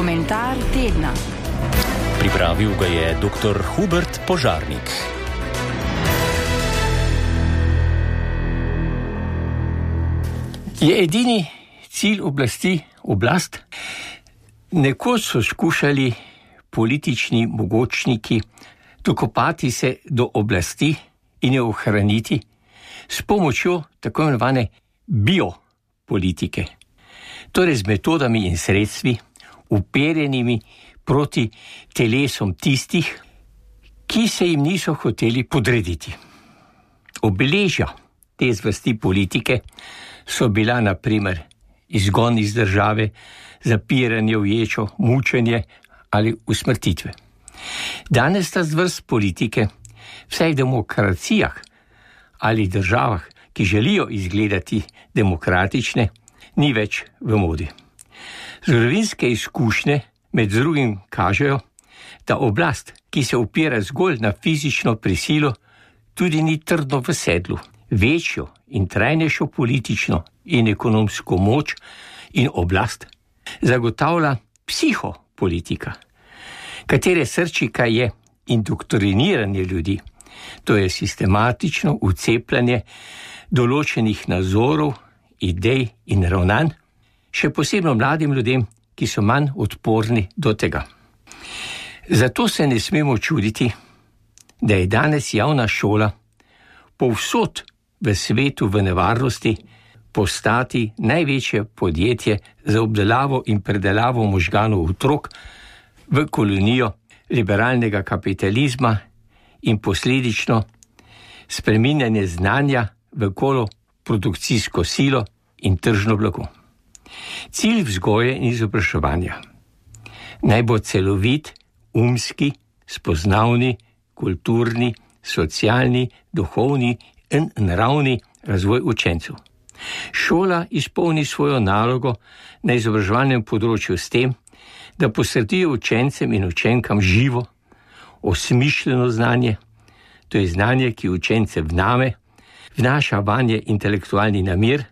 Komentar tedna. Pripravil ga je dr. Hubert Požarnik. Je edini cilj oblasti oblast? Nekoč so skušali politični mogočniki dokopati se do oblasti in jo ohraniti s pomočjo tako imenovane biopolitike, torej z metodami in sredstvi, uperjenimi proti telesom tistih, ki se jim niso hoteli podrediti. Obeležja te zvrsti politike so bila na primer izgon iz države, zapiranje v ječo, mučenje ali usmrtitve. Danes ta zvrst politike vsaj v demokracijah ali državah, ki želijo izgledati demokratične, ni več v modi. Zgodovinske izkušnje med drugim kažejo, da oblast, ki se opira zgolj na fizično prisilo, tudi ni trdno v sedlu. Večjo in trajnejšo politično in ekonomsko moč in oblast zagotavlja psihopolitika, katere srčika je indoktriniranje ljudi, to je sistematično vcepljanje določenih nazorov, idej in ravnanj, še posebno mladim ljudem, ki so manj odporni do tega. Zato se ne smemo čuditi, da je danes javna šola povsod v svetu v nevarnosti postati največje podjetje za obdelavo in predelavo možganov otrok v kolonijo liberalnega kapitalizma in posledično spreminjanje znanja v produkcijsko silo in tržno blago. Cilj vzgoje in izobraževanja naj bo celovit, umski, spoznavni, kulturni, socialni, duhovni in naravni razvoj učencev. Šola izpolni svojo nalogo na izobraževalnem področju s tem, da posredijo učencem in učenkam živo, osmišljeno znanje, to je znanje, ki učence vnaša vanje intelektualni namir,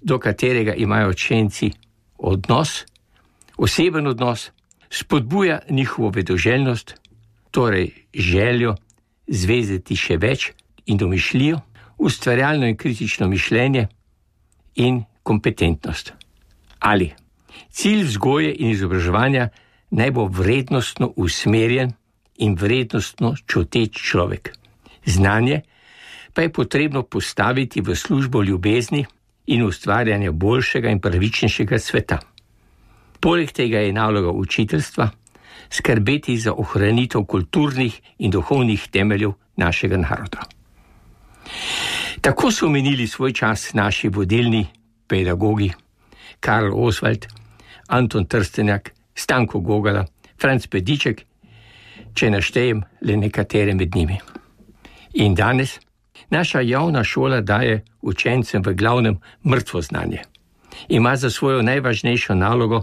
do katerega imajo učenci odnos, oseben odnos, spodbuja njihovo vedoželjnost, torej željo zvezati še več in domišljijo, ustvarjalno in kritično mišljenje in kompetentnost. Ali cilj vzgoje in izobraževanja naj bo vrednostno usmerjen in vrednostno čuteč človek. Znanje pa je potrebno postaviti v službo ljubezni in ustvarjanja boljšega in pravičnejšega sveta. Poleg tega je naloga učiteljstva skrbeti za ohranitev kulturnih in duhovnih temeljev našega naroda. Tako so minili svoj čas naši vodilni pedagogi Karl Oswald, Anton Trstenjak, Stanko Gogala, Franc Pediček, če naštejem le nekatere med njimi. In danes naša javna šola daje učencem v glavnem mrtvo znanje. Ima za svojo najvažnejšo nalogo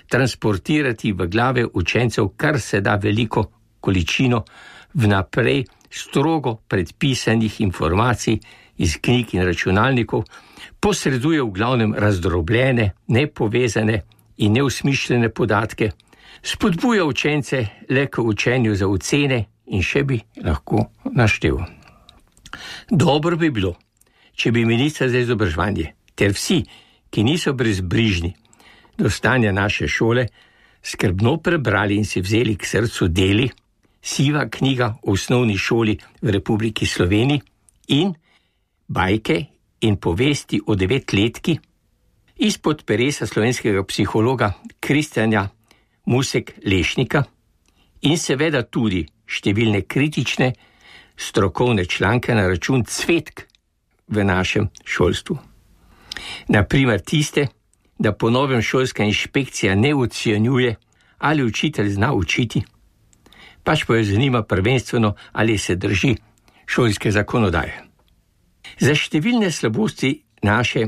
transportirati v glave učencev kar se da veliko količino vnaprej strogo predpisanih informacij iz knjig in računalnikov, posreduje v glavnem razdrobljene, nepovezane in neusmišljene podatke, spodbuja učence le k učenju za ocene in še bi lahko naštel. Dobro bi bilo, če bi minister za izobraževanje ter vsi, ki niso brezbrižni do stanja naše šole, skrbno prebrali in si vzeli k srcu deli Siva knjiga o osnovni šoli v Republiki Sloveniji in Bajke in povesti o 9-letki izpod peresa slovenskega psihologa Kristjana Musek Lešnika in seveda tudi številne kritične strokovne članke na račun cvetk v našem šolstvu. Naprimer tiste, da po novem šolska inšpekcija ne ocenjuje, ali učitelj zna učiti, pač pa jo zanima prvenstveno, ali se drži šolske zakonodaje. Za številne slabosti naše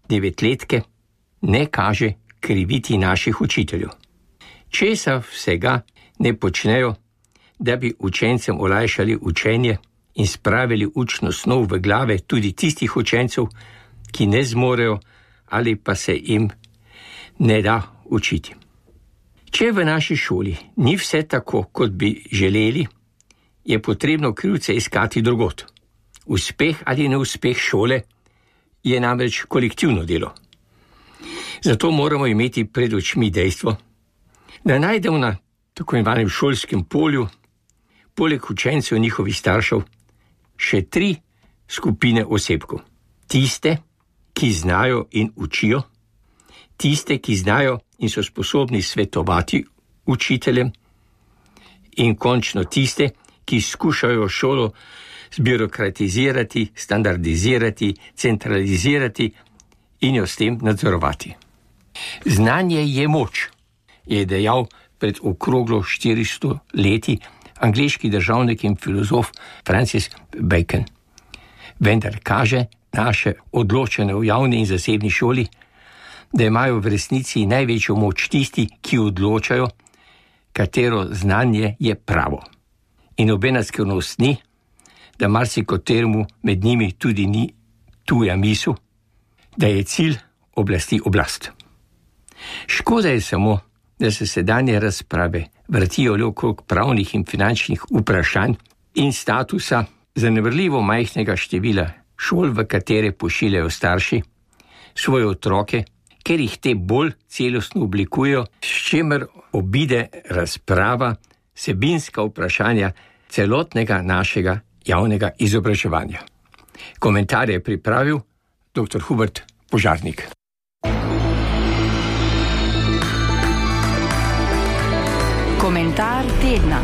9-letke ne kaže kriviti naših učiteljev. Česa vsega ne počnejo, da bi učencem olajšali učenje in spravili učno snov v glave tudi tistih učencev, ki ne zmorejo ali pa se jim ne da učiti. Če v naši šoli ni vse tako, kot bi želeli, je potrebno krivce iskati drugod. Uspeh ali neuspeh šole je namreč kolektivno delo. Zato moramo imeti pred očmi dejstvo, da najdemo na tako imenovanem šolskem polju, poleg učencev njihovih staršev, še 3 skupine osebkov. Tiste, ki znajo in učijo, tiste, ki znajo in so sposobni svetovati učiteljem, in končno tiste, ki skušajo šolo zbirokratizirati, standardizirati, centralizirati in jo s tem nadzorovati. Znanje je moč, je dejal pred okroglo 400 leti angleški državnik in filozof Francis Bacon. Vendar kaže naše odločanje v javni in zasebni šoli, da imajo v resnici največjo moč tisti, ki odločajo, katero znanje je pravo. In nobena skrivnost ni, da marsikoteremu med njimi tudi ni tuja misel, da je cilj oblasti oblast. Škoda je samo, da se sedanje razprave vrtijo le okrog pravnih in finančnih vprašanj in statusa zanemarljivo majhnega števila šol, v katere pošiljajo starši svoje otroke, ker jih te bolj celostno oblikujejo, s čimer obide razprava vsebinska vprašanja celotnega našega javnega izobraževanja. Komentar je pripravil dr. Hubert Požarnik. Komentar tedna.